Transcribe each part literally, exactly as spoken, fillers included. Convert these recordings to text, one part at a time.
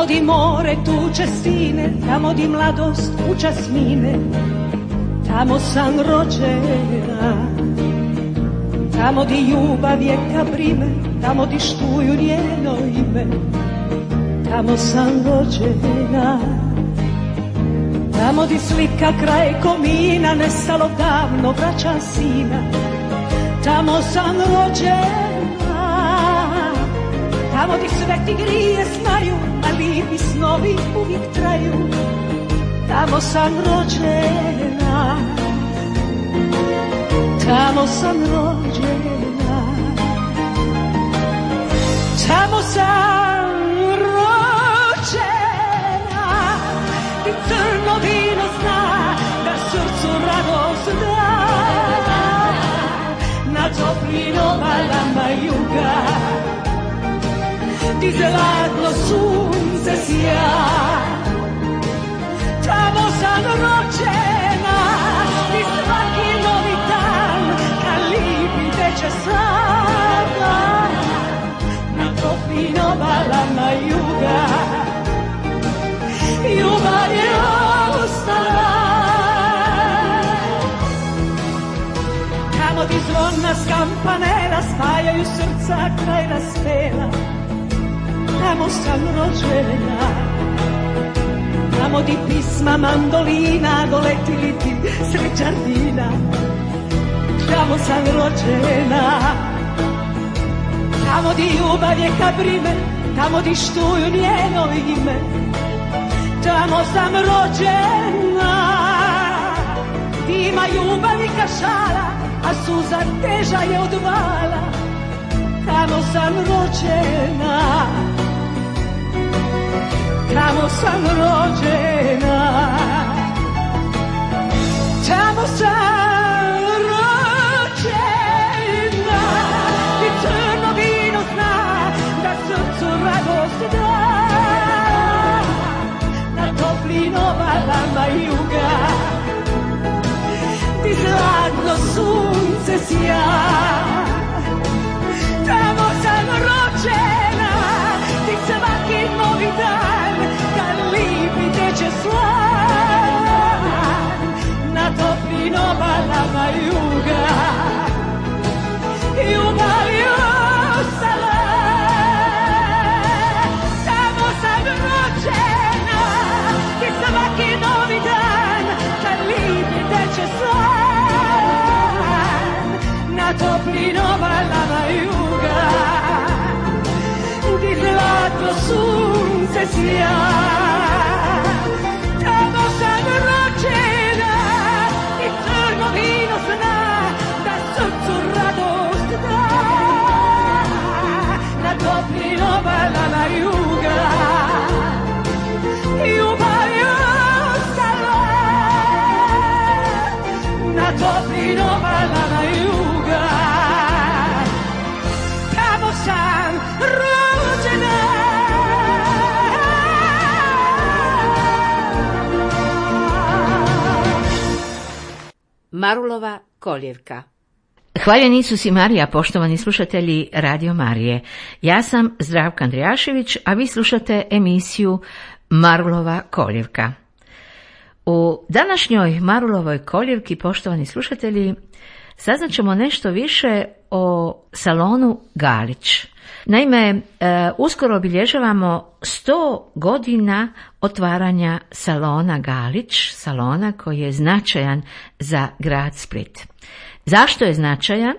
tamo di more tuče sine, tamo di mladost učas mine, tamo sam rođena, tamo di ljubav je kaprime, tamo di štuju njeno ime, tamo sam rođena. Tamo di slika kraj komina, nestalo davno vraća sina, tamo sam rođena. Tamo di sve ti grije znaju, a lijepi snovi uvijek traju, tamo sam rođena. Tamo sam rođena, tamo sam rođena. I crno vino zna da srcu radost da, na toplim obalama juga ti zlatno sunce sja. Tamo sam rođena i svaki novi dan kad lipi teče sada, na toplim obalama juga ljubav je ostala. Tamo di zvona s kampanela spajaju srca kraj raspela, tamo sam rođena. Tamo di pisma mandolina doletili ti sred đardina, tamo sam rođena. Tamo di ljubav je kabrime, tamo di štuju njeno ime, tamo sam rođena. Ima ljubav i kašala, a suza teža je od vala, tamo sam rođena. Tamo sam rođena, tamo sam rođena. I crno vino zna da srcu radost da, na toplim obalama juga ti zlatno sunce sja. Tamo sam rođena, ti svaki novi dan kad lipi teče slan, na toplim obalama juga ljubav je ostala. Tamo sam rođena, ti svaki novi dan kad lipi teče slan, na toplim obalama juga ti zlatno sunce sja. Tamo sam rođena i crno vino zna da srcu radost da, na toplim obalama juga ljubav je ostala. Na toplim obalama juga tamo sam rođena. Marulova koljevka. Hvaljen Isus i Marija, poštovani slušatelji Radio Marije. Ja sam Zdravka Andrijašević, a vi slušate emisiju Marulova koljevka. U današnjoj Marulovoj koljevki, poštovani slušatelji, saznat ćemo nešto više o salonu Galić. Naime, e, uskoro obilježavamo sto godina otvaranja salona Galić, salona koji je značajan za grad Split. Zašto je značajan?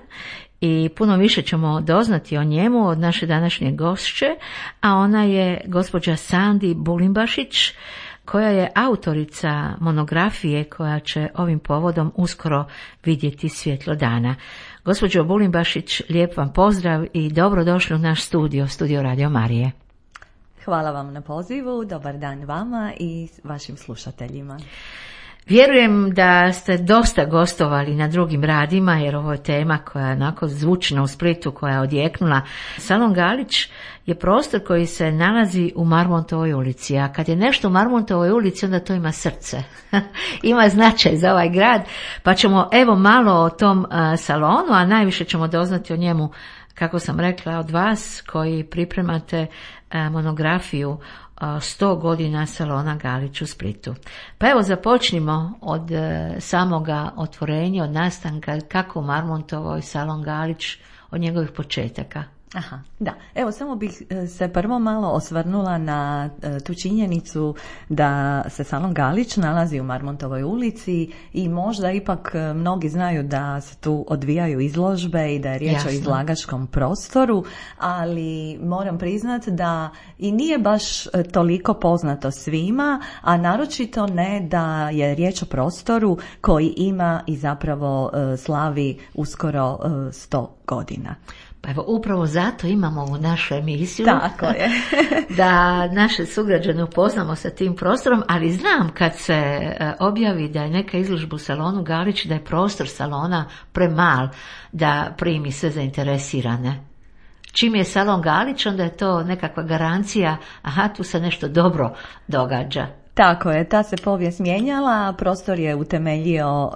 I puno više ćemo doznati o njemu od naše današnje gošće, a ona je gospođa Sandi Bulimbašić, koja je autorica monografije koja će ovim povodom uskoro vidjeti svjetlo dana. Gospođo Bulimbašić, lijep vam pozdrav i dobrodošli u naš studio, studio Radio Marije. Hvala vam na pozivu, dobar dan vama i vašim slušateljima. Vjerujem da ste dosta gostovali na drugim radima, jer ovo je tema koja je onako zvučna u Splitu, koja je odjeknula. Salon Galić je prostor koji se nalazi u Marmontovoj ulici, a kad je nešto u Marmontovoj ulici, onda to ima srce. Ima značaj za ovaj grad, pa ćemo evo malo o tom uh, salonu, a najviše ćemo doznati o njemu kako sam rekla, od vas koji pripremate monografiju sto godina salona Galić u Splitu. Pa evo započnimo od samoga otvorenja, od nastanka, kako u Marmontovoj salon Galić, od njegovih početaka. Aha, da. Evo, samo bih se prvo malo osvrnula na tu činjenicu da se salon Galić nalazi u Marmontovoj ulici i možda ipak mnogi znaju da se tu odvijaju izložbe i da je riječ Jasno. o izlagačkom prostoru, ali moram priznati da i nije baš toliko poznato svima, a naročito ne da je riječ o prostoru koji ima i zapravo slavi uskoro sto godina. Pa evo, upravo zato imamo ovu našu emisiju. Tako je. Da naše sugrađane upoznamo sa tim prostorom, ali znam kad se objavi da je neka izložba u salonu Galić, da je prostor salona premal da primi sve zainteresirane. Čim je salon Galić, onda je to nekakva garancija, aha, tu se nešto dobro događa. Tako je, ta se povijest mijenjala, prostor je utemeljio uh,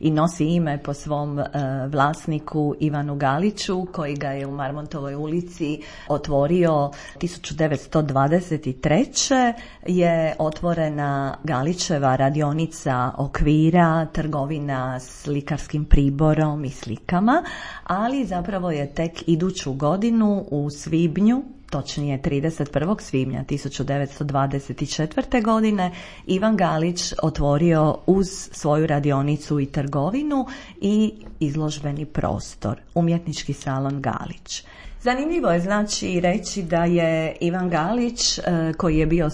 i nosi ime po svom uh, vlasniku Ivanu Galiću, koji ga je u Marmontovoj ulici otvorio tisuću devetsto dvadeset treće je otvorena Galićeva radionica okvira, trgovina s likarskim priborom i slikama, ali zapravo je tek iduću godinu u svibnju, točnije trideset prvog svibnja tisuću devetsto dvadeset četvrte. godine Ivan Galić otvorio uz svoju radionicu i trgovinu i izložbeni prostor, umjetnički salon Galić. Zanimljivo je znači reći da je Ivan Galić, koji je bio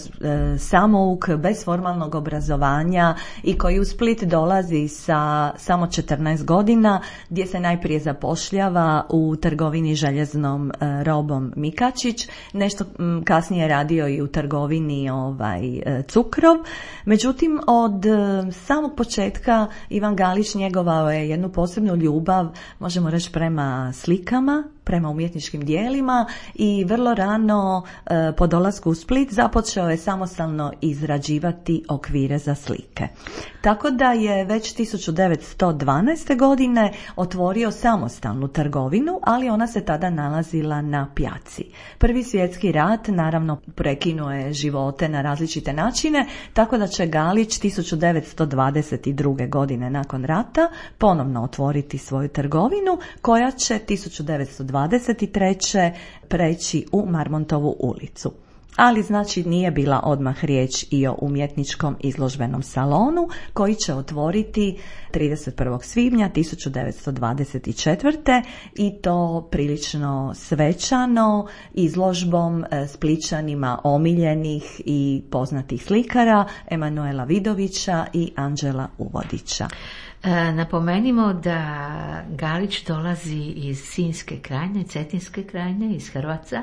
samouk bez formalnog obrazovanja i koji u Split dolazi sa samo četrnaest godina, gdje se najprije zapošljava u trgovini željeznom robom Mikačić, nešto kasnije radio i u trgovini ovaj, Cukrov. Međutim, od samog početka Ivan Galić njegovao je jednu posebnu ljubav, možemo reći, prema slikama, prema umjetničkim dijelima i vrlo rano e, po dolasku u Split započeo je samostalno izrađivati okvire za slike. Tako da je već tisuću devetsto dvanaeste. godine otvorio samostalnu trgovinu, ali ona se tada nalazila na Pjaci. Prvi svjetski rat naravno prekinuo je živote na različite načine, tako da će Galić tisuću devetsto dvadeset druge. godine nakon rata ponovno otvoriti svoju trgovinu, koja će tisuću devetsto dvadeset treće. preći u Marmontovu ulicu. Ali znači nije bila odmah riječ i o umjetničkom izložbenom salonu koji će otvoriti trideset prvog svibnja tisuću devetsto dvadeset četvrte. i to prilično svečano izložbom Splićanima omiljenih i poznatih slikara Emanuela Vidovića i Anđela Uvodića. E, napomenimo da Galić dolazi iz Sinjske krajine, Cetinske krajine, iz Hrvaca.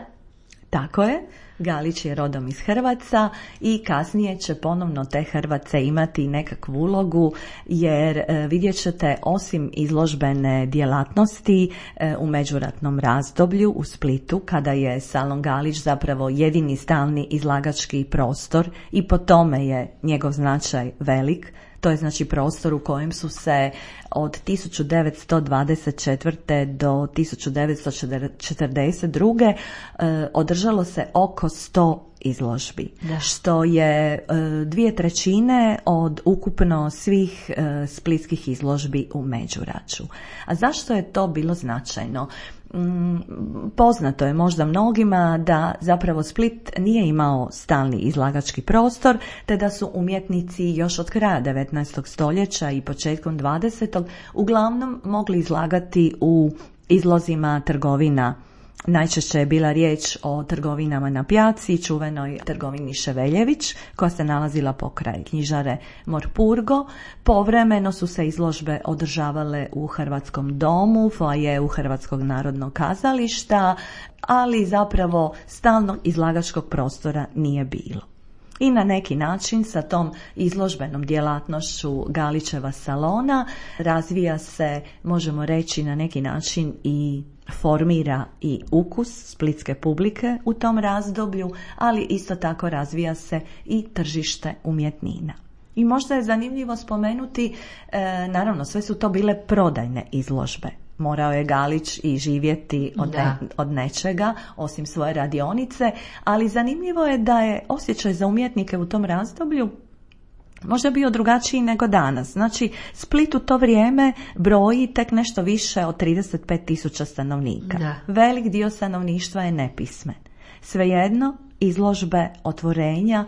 Tako je, Galić je rodom iz Hrvaca i kasnije će ponovno te Hrvace imati nekakvu ulogu, jer e, vidjet ćete, osim izložbene djelatnosti e, u međuratnom razdoblju u Splitu, kada je salon Galić zapravo jedini stalni izlagački prostor i po tome je njegov značaj velik. To je znači prostor u kojem su se od tisuću devetsto dvadeset četvrte. do tisuću devetsto četrdeset druge. Eh, održalo se oko sto izložbi, da. Što je eh, dvije trećine od ukupno svih eh, splitskih izložbi u Međuraču. A zašto je to bilo značajno? Poznato je možda mnogima da zapravo Split nije imao stalni izlagački prostor, te da su umjetnici još od kraja devetnaestog stoljeća i početkom dvadesetog uglavnom mogli izlagati u izlozima trgovina. Najčešće je bila riječ o trgovinama na Pjaci, čuvenoj trgovini Ševeljević, koja se nalazila pokraj knjižare Morpurgo. Povremeno su se izložbe održavale u Hrvatskom domu, foajeu Hrvatskog narodnog kazališta, ali zapravo stalnog izlagačkog prostora nije bilo. I na neki način sa tom izložbenom djelatnošću Galićeva salona razvija se, možemo reći, na neki način i formira i ukus splitske publike u tom razdoblju, ali isto tako razvija se i tržište umjetnina. I možda je zanimljivo spomenuti, e, naravno sve su to bile prodajne izložbe. morao je Galić i živjeti od, ne, od nečega, osim svoje radionice, ali zanimljivo je da je osjećaj za umjetnike u tom razdoblju možda bio drugačiji nego danas. Znači, Split u to vrijeme broji tek nešto više od trideset pet tisuća stanovnika. Da. Velik dio stanovništva je nepismen. Svejedno, izložbe otvorenja,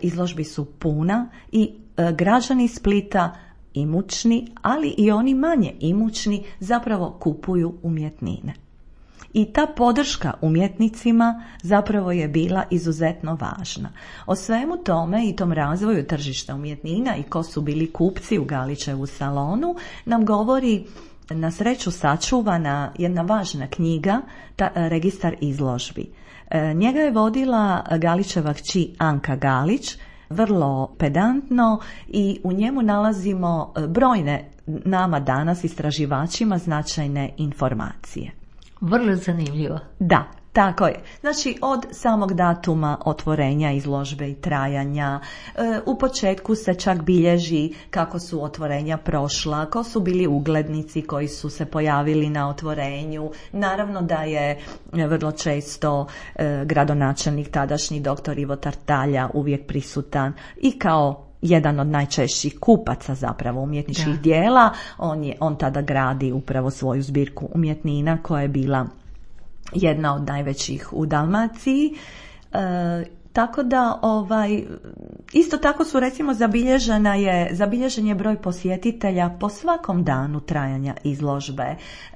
izložbi su puna i građani Splita, imućni, ali i oni manje imućni, zapravo kupuju umjetnine. I ta podrška umjetnicima zapravo je bila izuzetno važna. O svemu tome i tom razvoju tržišta umjetnina i ko su bili kupci u Galićevu salonu nam govori na sreću sačuvana jedna važna knjiga, ta, Registar izložbi. E, njega je vodila Galićeva kći Anka Galić, vrlo pedantno, i u njemu nalazimo brojne nama danas istraživačima značajne informacije. Vrlo zanimljivo. Da, tako je. Znači, od samog datuma otvorenja izložbe i trajanja, e, u početku se čak bilježi kako su otvorenja prošla, ko su bili uglednici koji su se pojavili na otvorenju. Naravno da je vrlo često e, gradonačelnik tadašnji doktor Ivo Tartalja uvijek prisutan i kao jedan od najčešćih kupaca zapravo umjetničkih da. dijela. On, je, on tada gradi upravo svoju zbirku umjetnina koja je bila jedna od najvećih u Dalmaciji. E, tako da ovaj, isto tako su recimo zabilježena je, zabilježen je broj posjetitelja po svakom danu trajanja izložbe.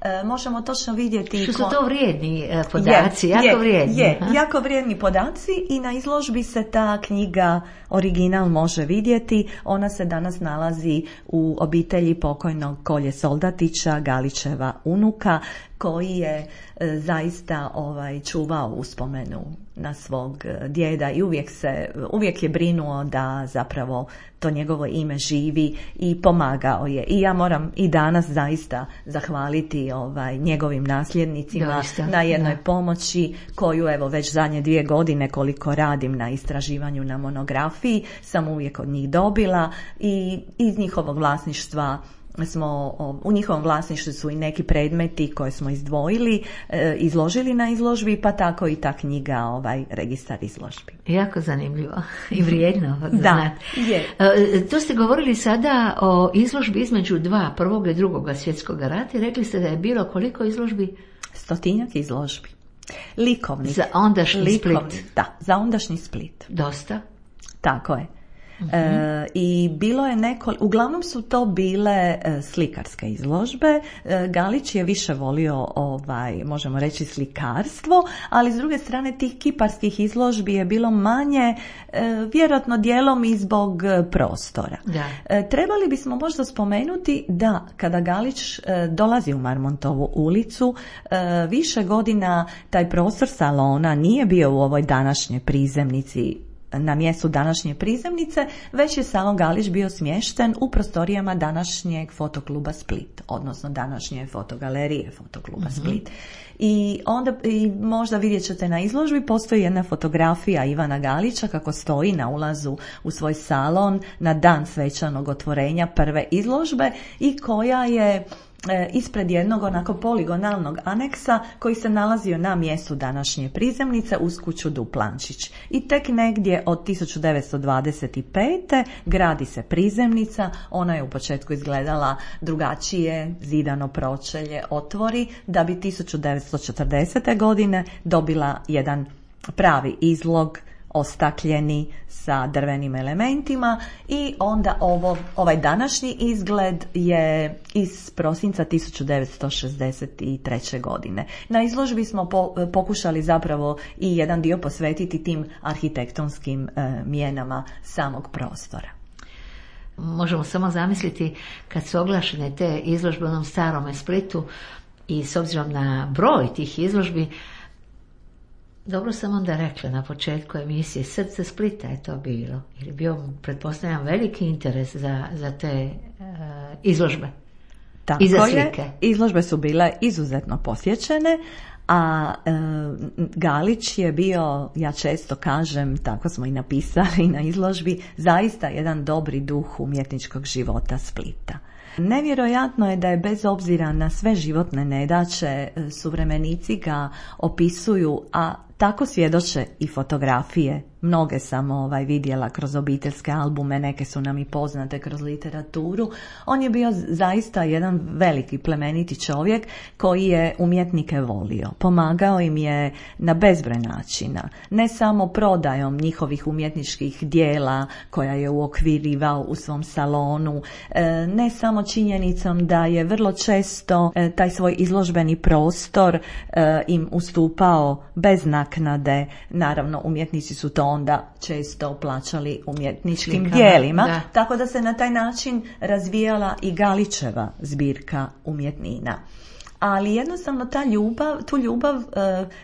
E, možemo točno vidjeti... Što su to vrijedni e, podaci, je, jako je, vrijedni. Je, jako vrijedni podaci i na izložbi se ta knjiga original može vidjeti. Ona se danas nalazi u obitelji pokojnog Kolje Soldatića, Galićeva unuka, koji je e, zaista ovaj, čuvao uspomenu na svog djeda i uvijek se, uvijek je brinuo da zapravo to njegovo ime živi i pomagao je. I ja moram i danas zaista zahvaliti ovaj, njegovim nasljednicima Doista, na jednoj da. pomoći koju evo već zadnje dvije godine koliko radim na istraživanju na monografiji sam uvijek od njih dobila i iz njihovog vlasništva smo, u njihovom vlasništvu su i neki predmeti koje smo izdvojili, e, izložili na izložbi, pa tako i ta knjiga, ovaj Registar izložbi. Jako zanimljivo i vrijedno. Da, je. E, to ste govorili sada o izložbi između dva, prvog i drugog svjetskog rata i rekli ste da je bilo koliko izložbi? Stotinjak izložbi. Likovnih. Za ondašnji Likovni, Split. Da, za ondašnji Split. Dosta. Tako je. Uh-huh. E, i bilo je neko, uglavnom su to bile e, slikarske izložbe. E, Galić je više volio ovaj, možemo reći slikarstvo, ali s druge strane tih kiparskih izložbi je bilo manje, e, vjerojatno dijelom i zbog prostora. Da. E, trebali bismo možda spomenuti da kada Galić e, dolazi u Marmontovu ulicu, e, više godina taj prostor salona nije bio u ovoj današnjoj prizemnici, na mjestu današnje prizemnice, već je samo Galić bio smješten u prostorijama današnjeg fotokluba Split, odnosno današnje fotogalerije fotokluba mm-hmm. Split. I onda i možda vidjet ćete na izložbi, postoji jedna fotografija Ivana Galića kako stoji na ulazu u svoj salon na dan svečanog otvorenja prve izložbe i koja je ispred jednog onako poligonalnog aneksa koji se nalazio na mjestu današnje prizemnice uz kuću Duplančić. I tek negdje od tisuću devetsto dvadeset pete. gradi se prizemnica, ona je u početku izgledala drugačije, zidano pročelje, otvori, da bi tisuću devetsto četrdesete. godine dobila jedan pravi izlog, ostakljeni sa drvenim elementima i onda ovo, ovaj današnji izgled je iz prosinca tisuću devetsto šezdeset treće. godine. Na izložbi smo po, pokušali zapravo i jedan dio posvetiti tim arhitektonskim e, mijenama samog prostora. Možemo samo zamisliti kad su oglašene te izložbe u onom starome Splitu i s obzirom na broj tih izložbi. Dobro sam onda rekla na početku emisije, Srce Splita je to bilo, jer je bio, pretpostavljam, veliki interes za, za te uh, izložbe. Tako i za slike. Je, izložbe su bile izuzetno posjećene, a e, Galić je bio, ja često kažem, tako smo i napisali na izložbi, zaista jedan dobri duh umjetničkog života Splita. Nevjerojatno je da je bez obzira na sve životne nedaće, suvremenici ga opisuju, a tako svjedoče i fotografije. Mnoge sam ovaj, vidjela kroz obiteljske albume, neke su nam i poznate kroz literaturu. On je bio zaista jedan veliki plemeniti čovjek koji je umjetnike volio. Pomagao im je na bezbroj načina. Ne samo prodajom njihovih umjetničkih dijela koja je uokvirivao u svom salonu, ne samo činjenicom da je vrlo često taj svoj izložbeni prostor im ustupao bez naknade. Naravno, umjetnici su to onda često plaćali umjetničkim Slikama, dijelima, da. Tako da se na taj način razvijala i Galićeva zbirka umjetnina. Ali jednostavno ta ljubav, tu ljubav e,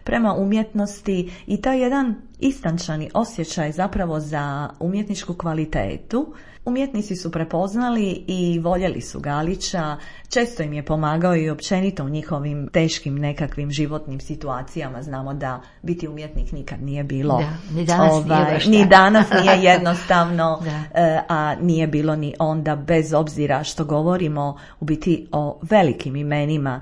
prema umjetnosti i taj jedan istančani osjećaj zapravo za umjetničku kvalitetu, umjetnici su prepoznali i voljeli su Galića, često im je pomagao i općenito u njihovim teškim nekakvim životnim situacijama. Znamo da biti umjetnik nikad nije bilo, da, ni danas ovaj, nije, ni danas nije jednostavno, a nije bilo ni onda, bez obzira što govorimo u biti o velikim imenima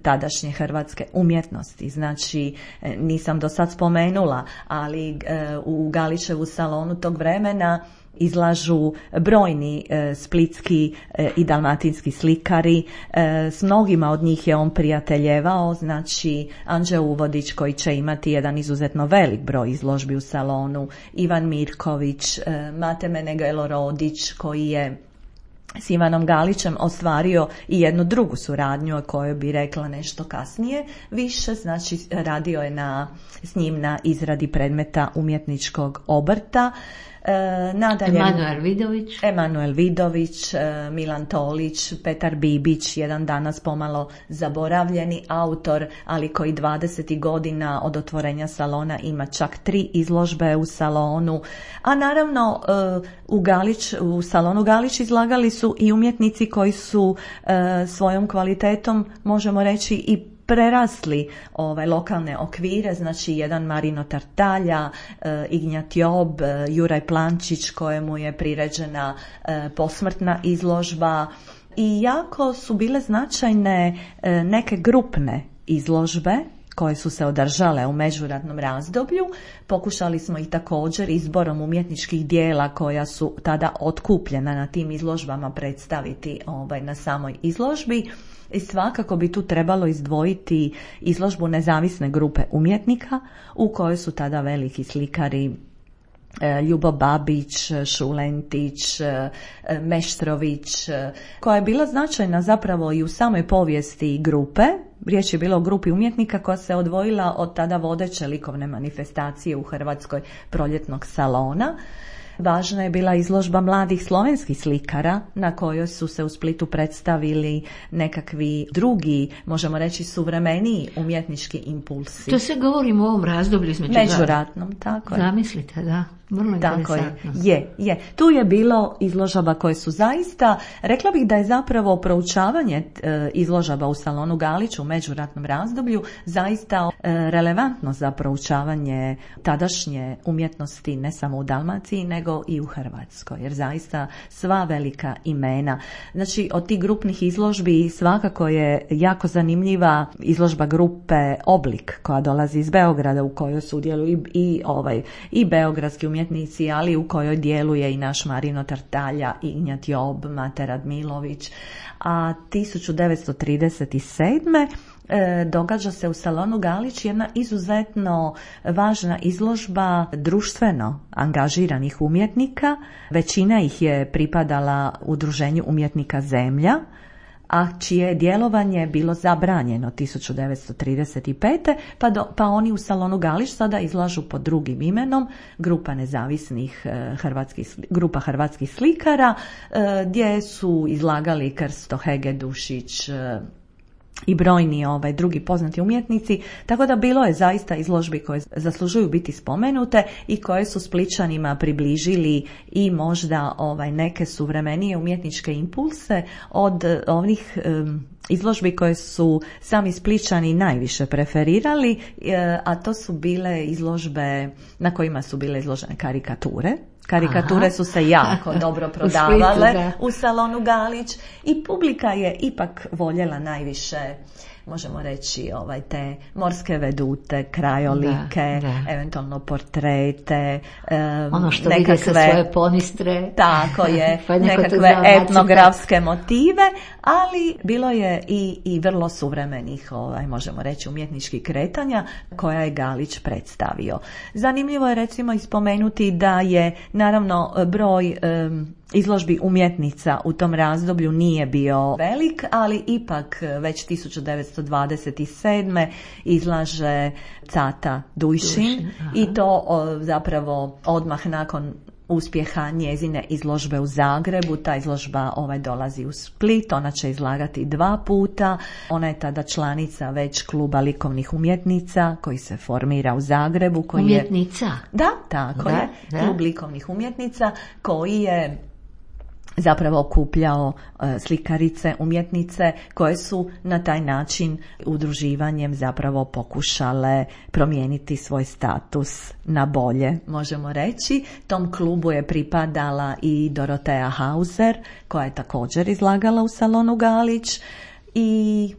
tadašnje hrvatske umjetnosti. Znači, nisam do sad spomenula, ali u Galićevu salonu tog vremena izlažu brojni e, splitski e, i dalmatinski slikari. E, s mnogima od njih je on prijateljevao, znači Anđe Uvodić koji će imati jedan izuzetno velik broj izložbi u salonu, Ivan Mirković, e, Mate Menegelo Rodić koji je s Ivanom Galićem ostvario i jednu drugu suradnju o kojoj bi rekla nešto kasnije više, znači radio je na, s njim na izradi predmeta umjetničkog obrta. E, nadalje, Emanuel Vidović. Emanuel Vidović, e, Milan Tolić, Petar Bibić, jedan danas pomalo zaboravljeni autor, ali koji dvadeset godina od otvorenja salona ima čak tri izložbe u salonu. A naravno e, u, Galić, u salonu Galić izlagali su i umjetnici koji su e, svojom kvalitetom, možemo reći, i prerasli ove lokalne okvire, znači jedan Marino Tartalja, e, Ignjat Job, e, Juraj Plančić kojemu je priređena e, posmrtna izložba i jako su bile značajne e, neke grupne izložbe koje su se održale u međuratnom razdoblju. Pokušali smo ih također izborom umjetničkih dijela koja su tada otkupljena na tim izložbama predstaviti ovaj, na samoj izložbi. I svakako bi tu trebalo izdvojiti izložbu nezavisne grupe umjetnika u kojoj su tada veliki slikari Ljubo Babić, Šulentić, Meštrović, koja je bila značajna zapravo i u samoj povijesti grupe. Riječ je bilo o grupi umjetnika koja se odvojila od tada vodeće likovne manifestacije u Hrvatskoj, Proljetnog salona. Važna je bila izložba mladih slovenskih slikara na kojoj su se u Splitu predstavili nekakvi drugi, možemo reći suvremeniji umjetnički impulsi. To se govorimo o ovom razdoblju između međuratnom, tako je. Zamislite, da. Vrlo tako je. je, je. Tu je bilo izložaba koje su zaista, rekla bih da je zapravo proučavanje e, izložaba u salonu Galić u međuratnom razdoblju zaista e, relevantno za proučavanje tadašnje umjetnosti ne samo u Dalmaciji nego i u Hrvatskoj, jer zaista sva velika imena. Znači od tih grupnih izložbi svakako je jako zanimljiva izložba grupe Oblik koja dolazi iz Beograda u kojoj sudjeluju i, i, ovaj, i beogradski umjetnici, ali u kojoj djeluje i naš Marino Tartalja, Ignjat Job, Mate Radmilović. A tisuću devetsto trideset sedme. E, događa se u salonu Galić jedna izuzetno važna izložba društveno angažiranih umjetnika. Većina ih je pripadala udruženju umjetnika Zemlja, a čije djelovanje bilo zabranjeno tisuću devetsto trideset pete. Pa, do, pa oni u salonu Galić sada izlažu pod drugim imenom, grupa nezavisnih eh, hrvatskih, grupa hrvatskih slikara, eh, gdje su izlagali Krsto Hegedušić, eh, i brojni ovaj, drugi poznati umjetnici, tako da bilo je zaista izložbi koje zaslužuju biti spomenute i koje su Splićanima približili i možda ovaj, neke suvremenije umjetničke impulse od onih um, izložbi koje su sami Splićani najviše preferirali, a to su bile izložbe na kojima su bile izložene karikature Karikature Aha. su se jako dobro prodavale u, Splitu, u salonu Galić i publika je ipak voljela najviše, možemo reći, ovaj, te morske vedute, krajolike, da, da. eventualno portrete, um, ono što nekakve, vide sa svoje ponistre, tako je, pa nekakve etnografske motive, ali bilo je i, i vrlo suvremenih, ovaj, možemo reći, umjetničkih kretanja koja je Galić predstavio. Zanimljivo je recimo ispomenuti da je naravno broj um, izložbi umjetnica u tom razdoblju nije bio velik, ali ipak već tisuću devetsto dvadeset sedme izlaže Cata Dujšin, Dujšin i to o, zapravo odmah nakon uspjeha njezine izložbe u Zagrebu. Ta izložba ovaj dolazi u Split, ona će izlagati dva puta. Ona je tada članica već kluba likovnih umjetnica koji se formira u Zagrebu. Koji umjetnica? Je, da, tako da, je. Da. Klub likovnih umjetnica koji je zapravo okupljao slikarice, umjetnice koje su na taj način udruživanjem zapravo pokušale promijeniti svoj status na bolje, možemo reći. Tom klubu je pripadala i Dorotea Hauser koja je također izlagala u salonu Galić i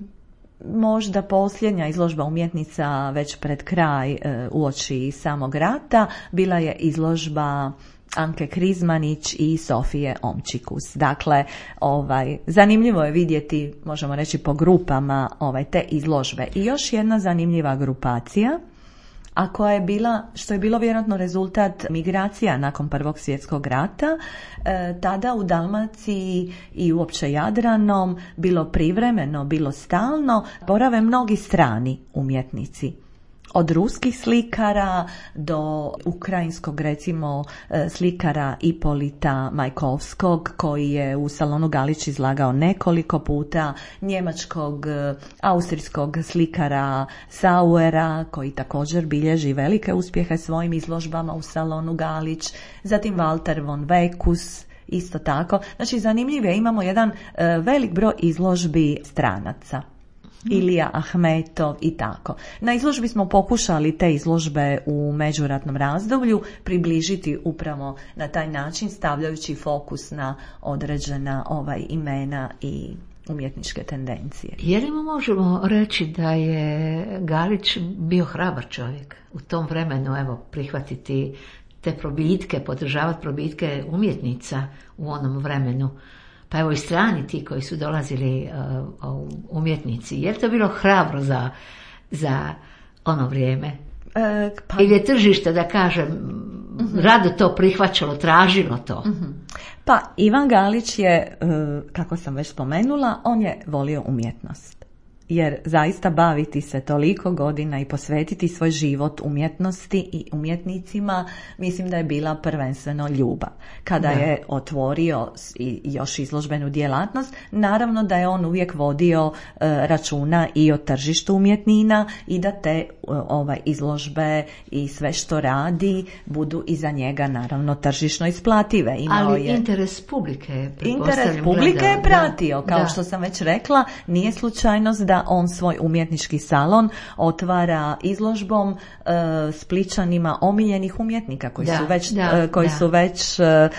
možda posljednja izložba umjetnica već pred kraj uoči samog rata bila je izložba Anke Krizmanić i Sofije Omčikus. Dakle, ovaj, zanimljivo je vidjeti, možemo reći po grupama, ovaj, te izložbe. I još jedna zanimljiva grupacija, a koja je bila, što je bilo vjerojatno rezultat migracija nakon Prvog svjetskog rata, e, tada u Dalmaciji i uopće Jadranom, bilo privremeno, bilo stalno, borave mnogi strani umjetnici. Od ruskih slikara do ukrajinskog, recimo, slikara Ipolita Majkovskog, koji je u salonu Galić izlagao nekoliko puta, njemačkog, austrijskog slikara Sauera, koji također bilježi velike uspjehe svojim izložbama u salonu Galić, zatim Walter von Wekus, isto tako. Znači, zanimljivo je, imamo jedan velik broj izložbi stranaca. Ilija Ahmetov i tako. Na izložbi smo pokušali te izložbe u međuratnom razdoblju približiti upravo na taj način, stavljajući fokus na određena ovaj imena i umjetničke tendencije. Je li mu možemo reći da je Galić bio hrabar čovjek u tom vremenu, evo, prihvatiti te probitke, podržavati probitke umjetnica u onom vremenu? Pa evo i strani ti koji su dolazili uh, umjetnici. Je li to bilo hrabro za, za ono vrijeme? E, pa... Ili je tržište, da kažem, uh-huh. rado to prihvaćalo, tražilo to? Uh-huh. Pa Ivan Galić je, kako sam već spomenula, on je volio umjetnost. Jer zaista baviti se toliko godina i posvetiti svoj život umjetnosti i umjetnicima, mislim da je bila prvenstveno ljubav. Kada da. je otvorio i još izložbenu djelatnost, naravno da je on uvijek vodio uh, računa i o tržištu umjetnina i da te uh, ovaj, izložbe i sve što radi budu iza njega naravno tržišno isplative. Imao Ali je... interes publike, interes publike je pratio, da. kao da. što sam već rekla, nije slučajnost da on svoj umjetnički salon otvara izložbom e, Splićanima omiljenih umjetnika koji da, su već, da, e, koji da. su već e,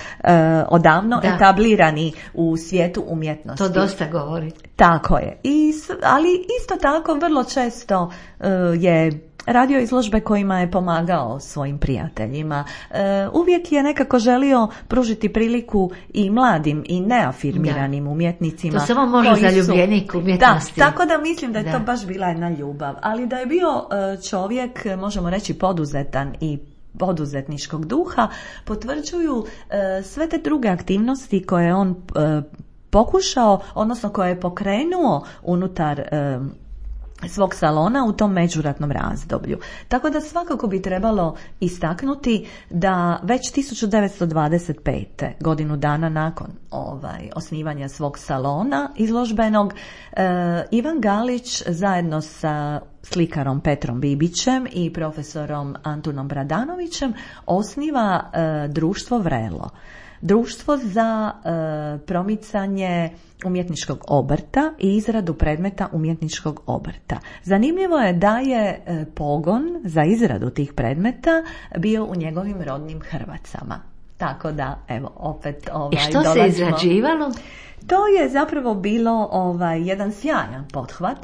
odavno da. etablirani u svijetu umjetnosti. To dosta govori. Tako je. I, ali isto tako vrlo često e, je radio izložbe kojima je pomagao svojim prijateljima. E, uvijek je nekako želio pružiti priliku i mladim i neafirmiranim da. umjetnicima. To samo može zaljubljenik umjetnosti. Da, tako da mislim da je da. to baš bila jedna ljubav. Ali da je bio čovjek, možemo reći, poduzetan i poduzetničkog duha, potvrđuju e, sve te druge aktivnosti koje on e, pokušao, odnosno koje je pokrenuo unutar e, svog salona u tom međuratnom razdoblju. Tako da svakako bi trebalo istaknuti da već tisuću devetsto dvadeset pete. godinu dana nakon ovaj, osnivanja svog salona izložbenog, eh, Ivan Galić zajedno sa slikarom Petrom Bibićem i profesorom Antunom Bradanovićem osniva eh, društvo Vrelo. Društvo za e, promicanje umjetničkog obrta i izradu predmeta umjetničkog obrta. Zanimljivo je da je e, pogon za izradu tih predmeta bio u njegovim rodnim Hrvacama. Tako da, evo, opet ovaj, I što dolazimo. se izrađivalo? To je zapravo bilo ovaj, jedan sjajan pothvat.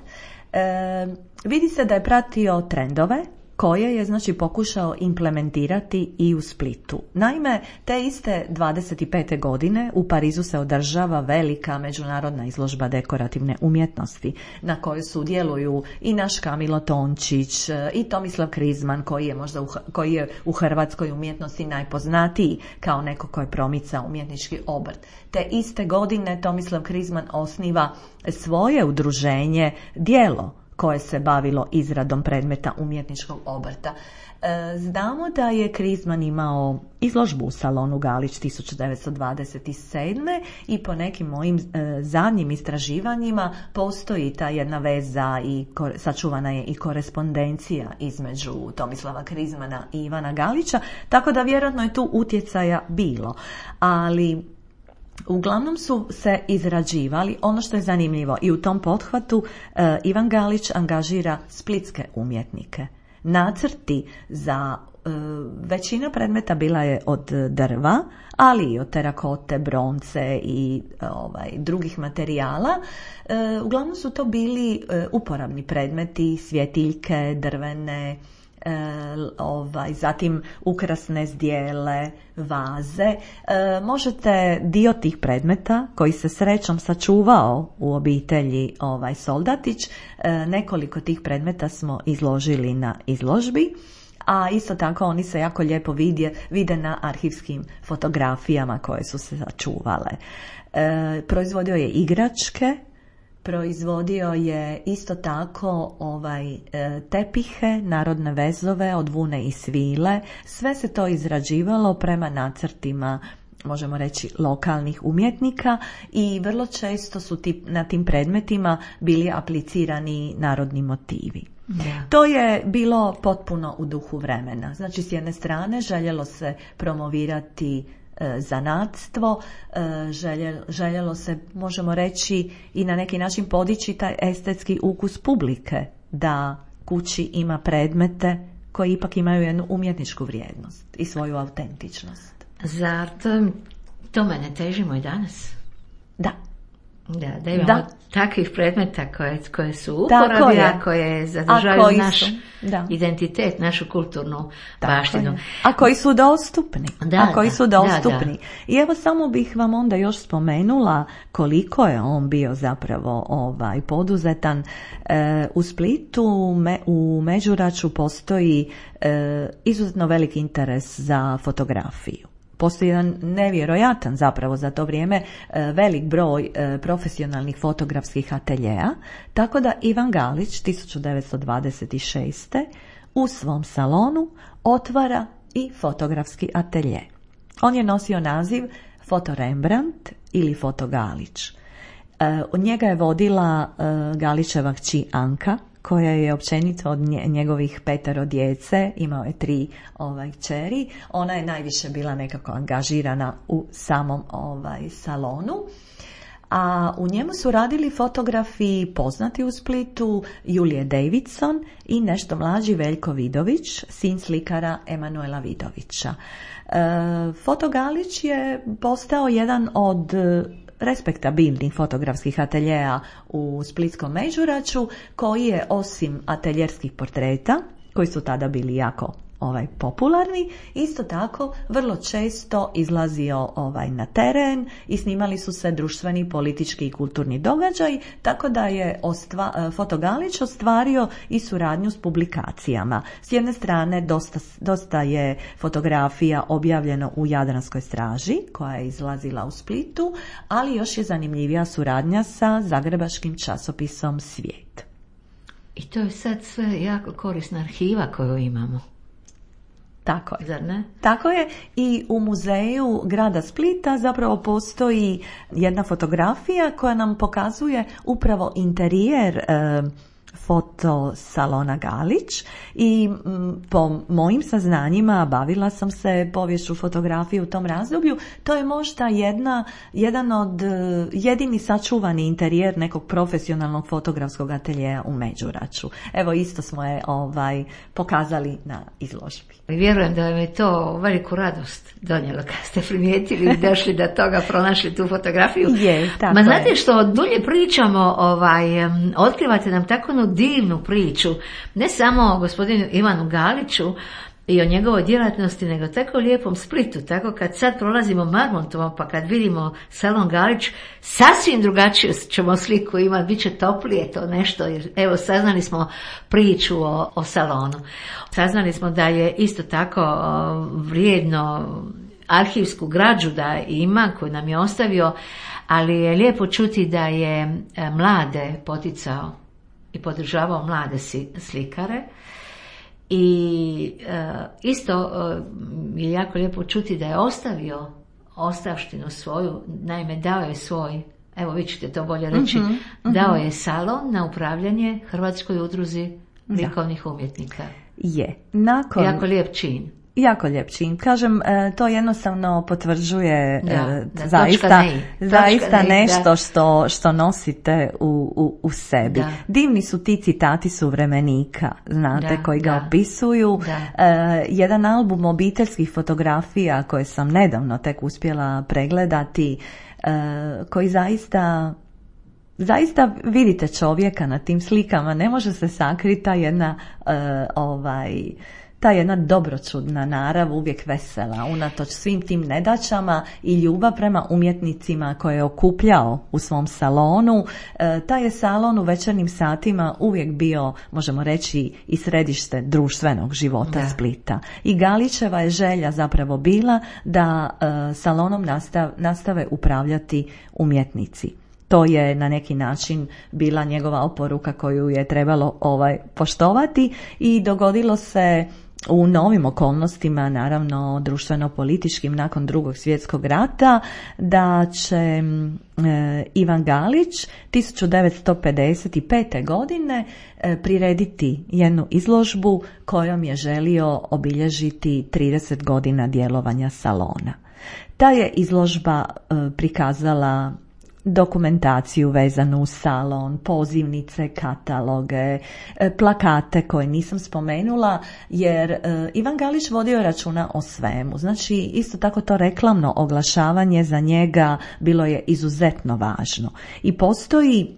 E, vidi se da je pratio trendove koje je znači pokušao implementirati i u Splitu. Naime, te iste dvadeset pete godine u Parizu se održava velika međunarodna izložba dekorativne umjetnosti na kojoj sudjeluju i naš Kamilo Tončić i Tomislav Krizman koji je možda u, koji je u hrvatskoj umjetnosti najpoznatiji kao neko ko je promicao umjetnički obrt. Te iste godine Tomislav Krizman osniva svoje udruženje Djelo koje se bavilo izradom predmeta umjetničkog obrta. Znamo da je Krizman imao izložbu u salonu Galić tisuću devetsto dvadeset sedme i po nekim mojim zadnjim istraživanjima postoji ta jedna veza i sačuvana je i korespondencija između Tomislava Krizmana i Ivana Galića, tako da vjerojatno je tu utjecaja bilo. Ali uglavnom su se izrađivali, ono što je zanimljivo, i u tom pothvatu e, Ivan Galić angažira splitske umjetnike. Nacrti za e, većina predmeta bila je od drva, ali i od terakote, bronce i ovaj, drugih materijala. E, uglavnom su to bili e, uporabni predmeti, svjetiljke, drvene, E, ovaj, zatim ukrasne zdjele, vaze. E, možete dio tih predmeta koji se srećom sačuvao u obitelji ovaj, Soldatić, e, nekoliko tih predmeta smo izložili na izložbi, a isto tako oni se jako lijepo vidje, vide na arhivskim fotografijama koje su se sačuvale. E, proizvodio je igračke, proizvodio je isto tako ovaj, tepihe, narodne vezove od vune i svile. Sve se to izrađivalo prema nacrtima, možemo reći, lokalnih umjetnika i vrlo često su ti, na tim predmetima bili aplicirani narodni motivi. Da. To je bilo potpuno u duhu vremena. Znači, s jedne strane željelo se promovirati zanatstvo, željelo se, možemo reći, i na neki način podići taj estetski ukus publike, da kući ima predmete koji ipak imaju jednu umjetničku vrijednost i svoju autentičnost. Zar to, tome ne težimo i danas? Da. Da, da imamo da. takvih predmeta koje, koje su uporabi, a koje zadržaju naš identitet, našu kulturnu Tako baštinu. Je. A koji su dostupni. Da, a koji da, su dostupni. Da, da. I evo samo bih vam onda još spomenula koliko je on bio zapravo ovaj, poduzetan. E, u Splitu, me, u Međuraču postoji e, izuzetno veliki interes za fotografiju. Postoji jedan nevjerojatan zapravo za to vrijeme velik broj profesionalnih fotografskih ateljeja, tako da Ivan Galić tisuću devetsto dvadeset šeste u svom salonu otvara i fotografski atelje. On je nosio naziv Foto Rembrandt ili Foto Galić. Od njega je vodila Galićeva kći Anka, koja je općenito od njegovih petero djece, imao je tri ovaj, kćeri. Ona je najviše bila nekako angažirana u samom ovaj, salonu. A u njemu su radili fotografi poznati u Splitu, Julije Davidson i nešto mlađi Veljko Vidović, sin slikara Emanuela Vidovića. E, Foto Galić je postao jedan od respektabilnih fotografskih ateljeja u Splitskom Međuraču, koji je osim ateljerskih portreta, koji su tada bili jako ovaj, popularni, isto tako vrlo često izlazio ovaj, na teren i snimali su se društveni, politički i kulturni događaj, tako da je ostva, Foto Galić ostvario i suradnju s publikacijama. S jedne strane dosta, dosta je fotografija objavljeno u Jadranskoj straži, koja je izlazila u Splitu, ali još je zanimljivija suradnja sa zagrebačkim časopisom Svijet. I to je sad sve jako korisna arhiva koju imamo. Tako je. Zar ne? Tako je. I u muzeju grada Splita zapravo postoji jedna fotografija koja nam pokazuje upravo interijer e, foto salona Galić i m, po mojim saznanjima bavila sam se poviješću fotografije u tom razdoblju. To je možda jedna, jedan od jedini sačuvani interijer nekog profesionalnog fotografskog ateljeja u Međuraču. Evo isto smo je ovaj, pokazali na izložbi. Vjerujem da vam je to veliku radost donijelo kad ste primijetili i došli do toga, pronašli tu fotografiju. Je, tako Ma znate je. što, dulje pričamo, ovaj, otkrivate nam tako jednu divnu priču, ne samo o gospodinu Ivanu Galiću i o njegovoj djelatnosti, nego tako u lijepom Splitu. Tako kad sad prolazimo Marmontovom, pa kad vidimo salon Galić, sasvim drugačiju ćemo sliku imati, bit će toplije to nešto. Jer, evo, saznali smo priču o, o salonu. Saznali smo da je isto tako o, vrijedno arhivsku građu da ima, koju nam je ostavio, ali je lijepo čuti da je e, mlade poticao i podržavao mlade slikare. I e, isto e, je jako lijepo čuti da je ostavio ostavštinu svoju, naime dao je svoj, evo vi ćete to bolje reći, mm-hmm, mm-hmm. dao je salon na upravljanje Hrvatskoj udruzi likovnih umjetnika. Je. Nakon... Jako lijep čin. Jako lijep čin. Kažem, to jednostavno potvrđuje da, da, zaista, ne, zaista ne, nešto da. što, što nosite u, u, u sebi. Da. Divni su ti citati suvremenika, znate, da, koji ga da. opisuju. Da. E, jedan album obiteljskih fotografija koje sam nedavno tek uspjela pregledati, e, koji zaista... Zaista vidite čovjeka na tim slikama, ne može se sakriti ta jedna e, ovaj... ta jedna dobročudna narav, uvijek vesela, unatoč svim tim nedaćama i ljubav prema umjetnicima koje je okupljao u svom salonu. E, taj je salon u večernjim satima uvijek bio, možemo reći, i središte društvenog života da. Splita. I Galićeva je želja zapravo bila da e, salonom nastav, nastave upravljati umjetnici. To je na neki način bila njegova oporuka koju je trebalo ovaj poštovati i dogodilo se u novim okolnostima, naravno društveno-političkim nakon Drugog svjetskog rata, da će e, Ivan Galić tisuću devetsto pedeset pete. godine e, prirediti jednu izložbu kojom je želio obilježiti trideset godina djelovanja salona. Ta je izložba e, prikazala dokumentaciju vezanu uz salon, pozivnice, kataloge, plakate koje nisam spomenula, jer Ivan Galić vodio računa o svemu. Znači, isto tako to reklamno oglašavanje za njega bilo je izuzetno važno. I postoji,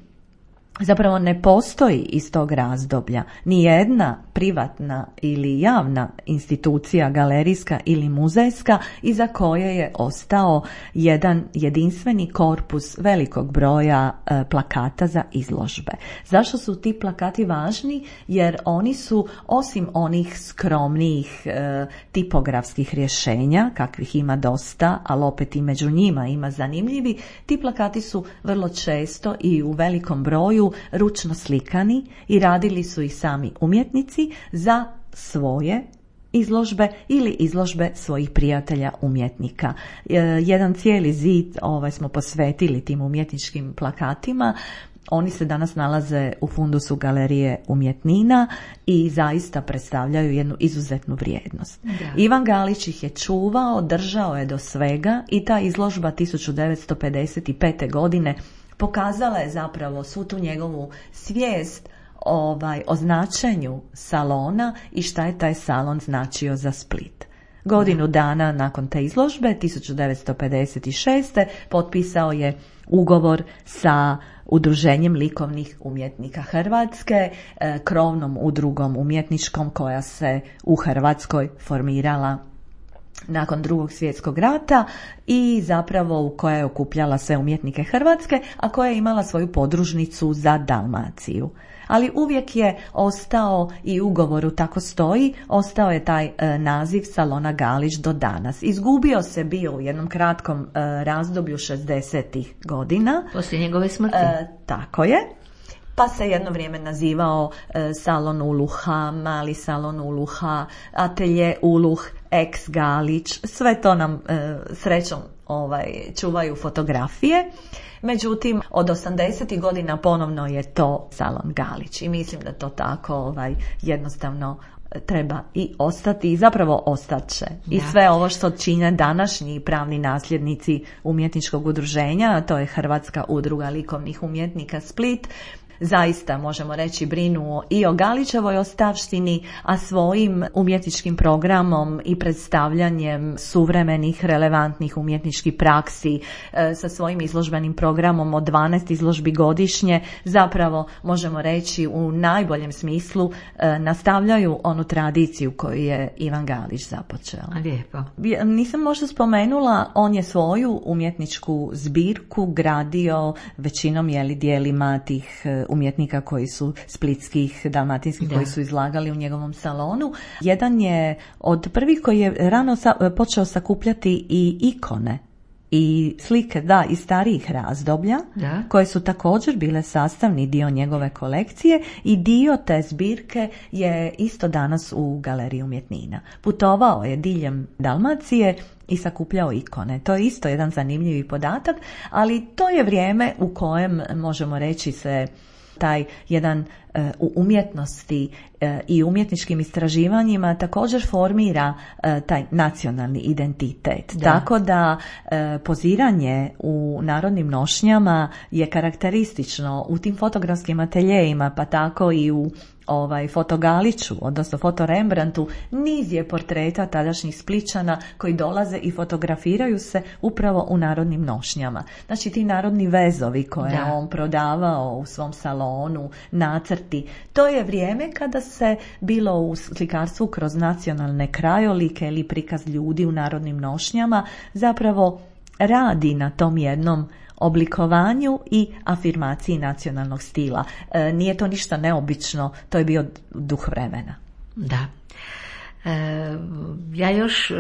zapravo ne postoji iz tog razdoblja ni jedna privatna ili javna institucija, galerijska ili muzejska, iza koje je ostao jedan jedinstveni korpus velikog broja e, plakata za izložbe. Zašto su ti plakati važni? Jer oni su, osim onih skromnijih e, tipografskih rješenja, kakvih ima dosta, ali opet i među njima ima zanimljivi, ti plakati su vrlo često i u velikom broju ručno slikani i radili su ih sami umjetnici za svoje izložbe ili izložbe svojih prijatelja umjetnika. E, jedan cijeli zid ovaj, smo posvetili tim umjetničkim plakatima. Oni se danas nalaze u fundusu Galerije umjetnina i zaista predstavljaju jednu izuzetnu vrijednost. Da. Ivan Galić ih je čuvao, držao je do svega i ta izložba tisuću devetsto pedeset pete. godine pokazala je zapravo svu tu njegovu svijest ovaj, o značenju salona i šta je taj salon značio za Split. Godinu dana nakon te izložbe, tisuću devetsto pedeset šeste. potpisao je ugovor sa Udruženjem likovnih umjetnika Hrvatske, krovnom udrugom umjetničkom koja se u Hrvatskoj formirala nakon Drugog svjetskog rata i zapravo u koja je okupljala sve umjetnike Hrvatske, a koja je imala svoju podružnicu za Dalmaciju. Ali uvijek je ostao i u ugovoru tako stoji, ostao je taj e, naziv salona Galić do danas. Izgubio se bio u jednom kratkom e, razdoblju šezdesetih godina. Poslije njegove smrti. E, tako je. pa se jedno vrijeme nazivao e, salon Uluha, mali salon Uluha, atelje Uluh, ex Galić, sve to nam e, srećom ovaj, čuvaju fotografije. Međutim, od osamdesetih godina ponovno je to salon Galić i mislim da to tako ovaj, jednostavno treba i ostati i zapravo ostaće. I da. sve ovo što čine današnji pravni nasljednici umjetničkog udruženja, a to je Hrvatska udruga likovnih umjetnika Split, zaista možemo reći brinu i o Galićevoj ostavštini, a svojim umjetničkim programom i predstavljanjem suvremenih relevantnih umjetničkih praksi e, sa svojim izložbenim programom od dvanaest izložbi godišnje zapravo možemo reći u najboljem smislu e, nastavljaju onu tradiciju koju je Ivan Galić započeo. Lijepo. Nisam možda spomenula, on je svoju umjetničku zbirku gradio većinom jeli dijelima tih umjetnika koji su splitskih, dalmatinskih, da. koji su izlagali u njegovom salonu. Jedan je od prvih koji je rano sa, počeo sakupljati i ikone i slike, da, iz starijih razdoblja, da. koje su također bile sastavni dio njegove kolekcije i dio te zbirke je isto danas u Galeriji umjetnina. Putovao je diljem Dalmacije i sakupljao ikone. To je isto jedan zanimljivi podatak, ali to je vrijeme u kojem možemo reći se taj jedan e, u umjetnosti e, i umjetničkim istraživanjima također formira e, taj nacionalni identitet. Da. Tako da e, poziranje u narodnim nošnjama je karakteristično u tim fotografskim ateljejima, pa tako i u ovaj fotogaliću, odnosno foto Rembrandtu, niz je portreta tadašnjih Splićana koji dolaze i fotografiraju se upravo u narodnim nošnjama. Znači ti narodni vezovi koje da. je on prodavao u svom salonu, nacrti, to je vrijeme kada se bilo u slikarstvu kroz nacionalne krajolike ili prikaz ljudi u narodnim nošnjama zapravo radi na tom jednom oblikovanju i afirmaciji nacionalnog stila. E, nije to ništa neobično, to je bio duh vremena. Da. E, ja još,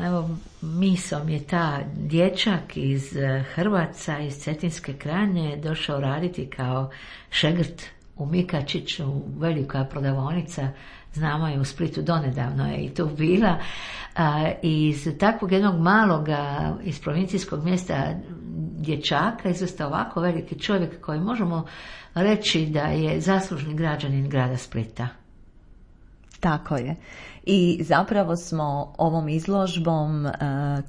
evo, misom je ta dječak iz Hrvaca, iz Cetinske krajine, došao raditi kao šegrt u Mikačiću, velika prodavaonica, znamo je u Splitu, donedavno je i tu bila. A, iz takvog jednog maloga, iz provincijskog mjesta dječaka izvesta ovako veliki čovjek koji možemo reći da je zaslužni građanin grada Splita. Tako je. I zapravo smo ovom izložbom uh,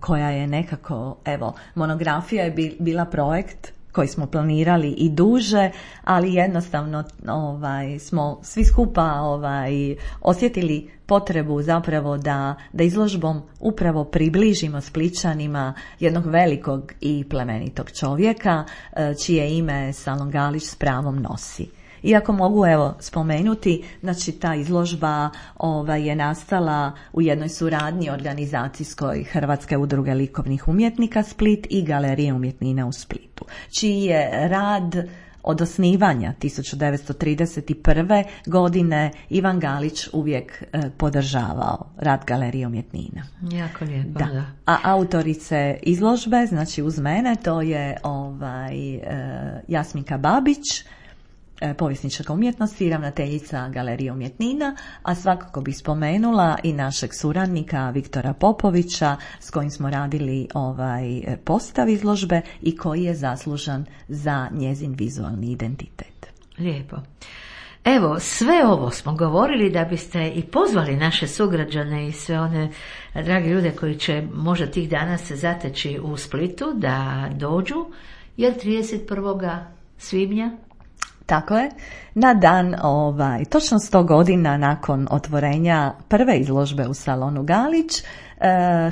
koja je nekako, evo, monografija je bila projekt koji smo planirali i duže, ali jednostavno ovaj, smo svi skupa ovaj, osjetili potrebu zapravo da, da izložbom upravo približimo Splićanima jednog velikog i plemenitog čovjeka čije ime Salon Galić s pravom nosi. Iako mogu evo spomenuti, znači ta izložba ovaj, je nastala u jednoj suradnji organizacijskoj Hrvatske udruge likovnih umjetnika Split i Galerije umjetnina u Splitu, čiji je rad od osnivanja tisuću devetsto trideset prve. godine Ivan Galić uvijek e, podržavao rad Galerije umjetnina. Jako lijepo, da. da. A autorice izložbe, znači uz mene, to je ovaj, e, Jasminka Babić, povjesničarka umjetnosti i ravnateljica Galerije umjetnina, a svakako bih spomenula i našeg suradnika Viktora Popovića s kojim smo radili ovaj postav izložbe i koji je zaslužan za njezin vizualni identitet. Lijepo. Evo, sve ovo smo govorili da biste i pozvali naše sugrađane i sve one drage ljude koji će možda tih dana se zateći u Splitu da dođu, jer trideset prvog svibnja tako je, na dan, ovaj, točno sto godina nakon otvorenja prve izložbe u salonu Galić,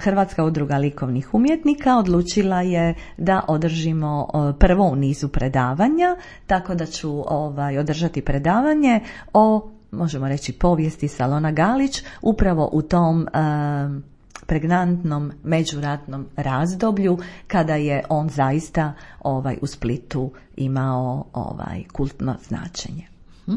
Hrvatska udruga likovnih umjetnika odlučila je da održimo prvo u nizu predavanja, tako da ću ovaj, održati predavanje o, možemo reći, povijesti salona Galić, upravo u tom um, pregnantnom međuratnom razdoblju kada je on zaista ovaj u Splitu imao ovaj kultno značenje. Hm?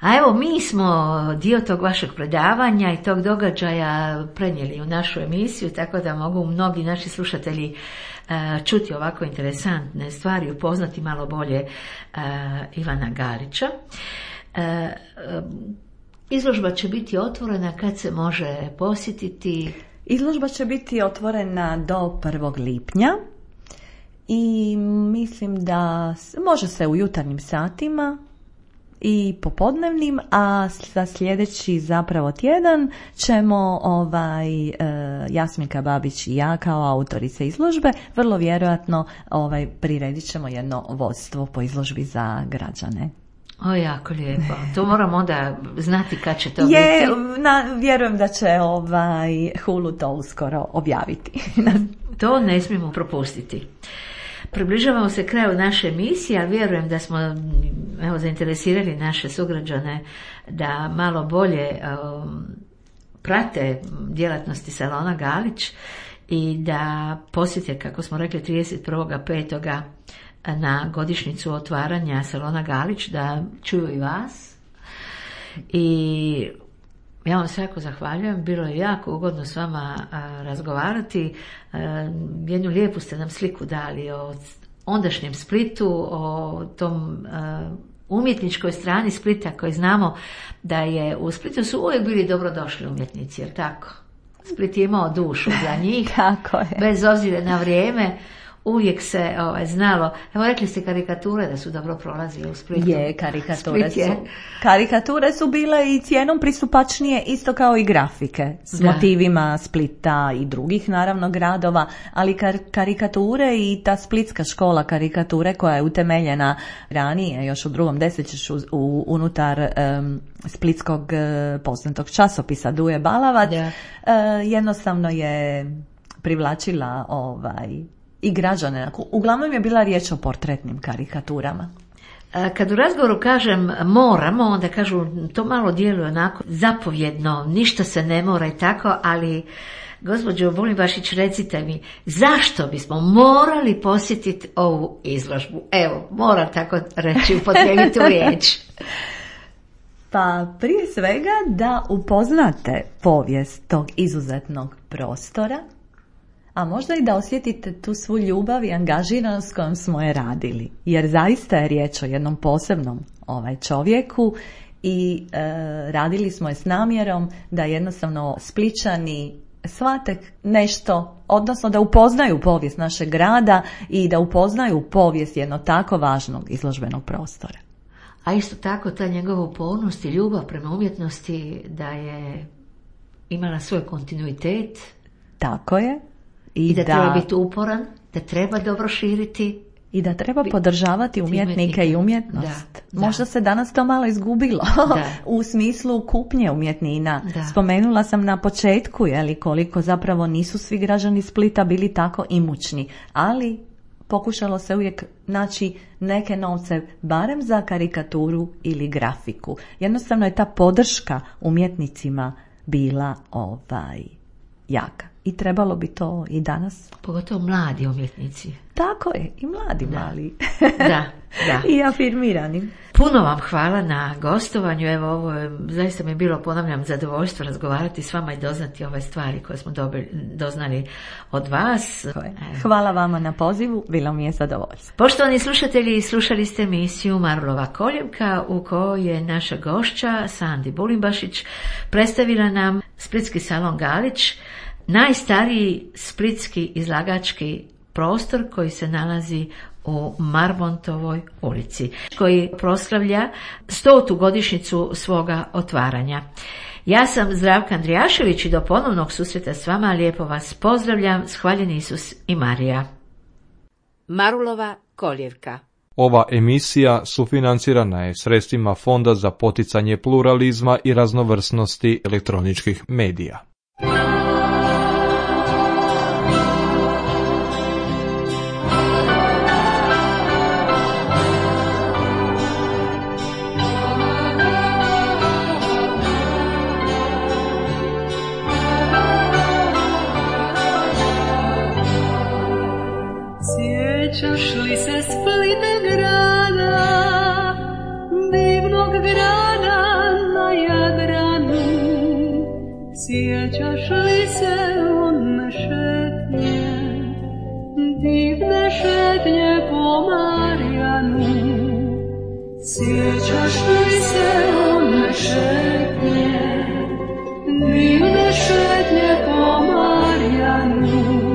A evo, mi smo dio tog vašeg predavanja i tog događaja prenijeli u našu emisiju, tako da mogu mnogi naši slušatelji uh, čuti ovako interesantne stvari, upoznati malo bolje uh, Ivana Galića. Uh, uh, izložba će biti otvorena kad se može posjetiti? Izložba će biti otvorena do prvog lipnja i mislim da može se u jutarnjim satima i popodnevnim, a za sljedeći zapravo tjedan ćemo ovaj, e, Jasminka Babić i ja kao autorice izložbe vrlo vjerojatno ovaj, priredit ćemo jedno vodstvo po izložbi za građane. O, jako lijepo. To moramo onda znati kad će to Je, biti. Na, vjerujem da će ovaj, Hulu to uskoro objaviti. To ne smijemo propustiti. Približavamo se kraju naše emisije, ali vjerujem da smo evo, zainteresirali naše sugrađane da malo bolje um, prate djelatnosti salona Galić i da posjete, kako smo rekli, trideset prvog petog na godišnjicu otvaranja salona Galić, da čuju i vas. I ja vam se jako zahvaljujem, bilo je jako ugodno s vama a, razgovarati. A, jednu lijepu ste nam sliku dali o ondašnjem Splitu, o tom a, umjetničkoj strani Splita, koji znamo da je u Splitu su uvijek bili dobrodošli umjetnici, jer tako? Split je imao dušu za njih, Tako je. Bez obzira na vrijeme. Uvijek se ovaj, znalo, evo rekli ste karikature da su dobro prolazile u Splitu. Je, karikature Split je. su. Karikature su bile i cijenom pristupačnije, isto kao i grafike, s Da. motivima Splita i drugih naravno gradova, ali kar- karikature i ta splitska škola karikature koja je utemeljena ranije, još u drugom desetljeću u, unutar um, splitskog uh, poznatog časopisa Duje Balavac, Da. uh, jednostavno je privlačila ovaj i građane. Uglavnom je bila riječ o portretnim karikaturama. Kad u razgovoru kažem moramo, onda kažu to malo djeluje onako zapovjedno, ništa se ne mora i tako, ali gospođo Bulimbašić, recite mi, zašto bismo morali posjetiti ovu izložbu? Evo, moram tako reći, upotrijebiti tu riječ. Pa prije svega da upoznate povijest tog izuzetnog prostora, a možda i da osjetite tu svu ljubav i angažiranost s kojom smo je radili. Jer zaista je riječ o jednom posebnom ovaj čovjeku i e, radili smo je s namjerom da jednostavno Splićani shvate nešto, odnosno da upoznaju povijest našeg grada i da upoznaju povijest jednog tako važnog izložbenog prostora. A isto tako ta njegova upornost i ljubav prema umjetnosti, da je imala svoj kontinuitet. Tako je. I, I da, da treba biti uporan, da treba dobro širiti. I da treba podržavati umjetnike i umjetnost. Da, Možda da. se danas to malo izgubilo Da. u smislu kupnje umjetnina. Da. Spomenula sam na početku, jeli, koliko zapravo nisu svi građani Splita bili tako imućni, ali pokušalo se uvijek naći neke novce, barem za karikaturu ili grafiku. Jednostavno je ta podrška umjetnicima bila ovaj jaka. I trebalo bi to i danas. Pogotovo mladi umjetnici. Tako je, i mladi Da. mali. Da, da. I afirmirani. Puno vam hvala na gostovanju. Evo, ovo je, zaista mi je bilo, ponavljam, zadovoljstvo razgovarati s vama i doznati ove stvari koje smo dobili, doznali od vas. Hvala vama na pozivu, bilo mi je zadovoljstvo. Poštovani slušatelji, slušali ste emisiju Marulova koljevka u kojoj je naša gošća Sandi Bulimbašić predstavila nam Splitski salon Galić, najstariji splitski izlagački prostor koji se nalazi u Marmontovoj ulici, koji proslavlja stotu godišnjicu svoga otvaranja. Ja sam Zdravka Andrijašević i do ponovnog susreta s vama lijepo vas pozdravljam. Hvaljeni Isus i Marija. Marulova koljevka. Ova emisija sufinancirana je sredstvima Fonda za poticanje pluralizma i raznovrsnosti elektroničkih medija. Sjećaš li se Splita grada, divnog grada? li se one šetnje, divne šetnje po Marjanu? Sjećaš li se one šetnje, divne šetnje po Marjanu?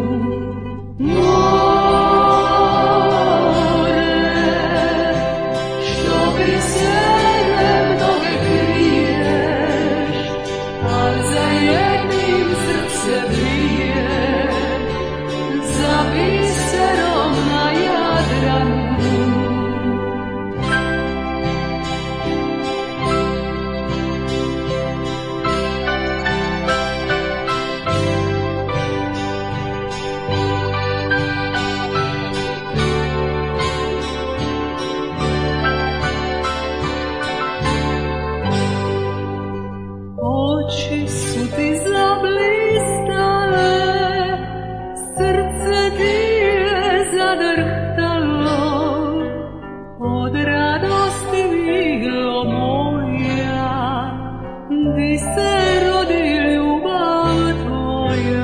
Di se rodi ljubav tvoja.